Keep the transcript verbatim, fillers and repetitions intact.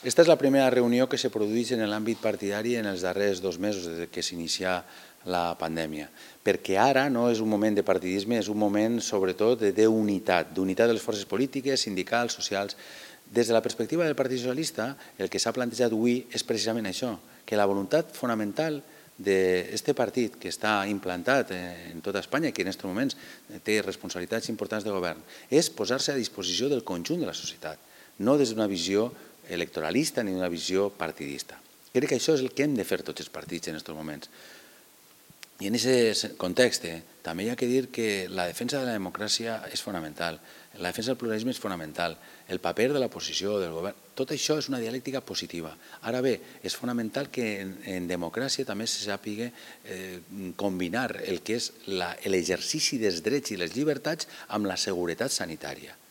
Esta és la primera reunió que se produeix en l'àmbit partidari en els darrers dos mesos des que s'inicia la pandèmia, perquè ara no és un moment de partidisme, és un moment sobretot d'unitat, d'unitat de les forces polítiques, sindicals, socials. Des de la perspectiva del Partit Socialista, el que s'ha plantejat avui és precisament això, que la voluntat fonamental d'aquest partit que està implantat en tota Espanya i que en aquests moments té responsabilitats importants de govern, és posar-se a disposició del conjunt de la societat, no des d'una visió electoralista ni d'una visió partidista. Crec que això és el que hem de fer tots els partits en aquests moments. I en aquest context també hi ha que dir que la defensa de la democràcia és fonamental, la defensa del pluralisme és fonamental, el paper de l'oposició, del govern, tot això és una dialèctica positiva. Ara bé, és fonamental que en democràcia també se sàpiga combinar el que és l'exercici dels drets i les llibertats amb la seguretat sanitària.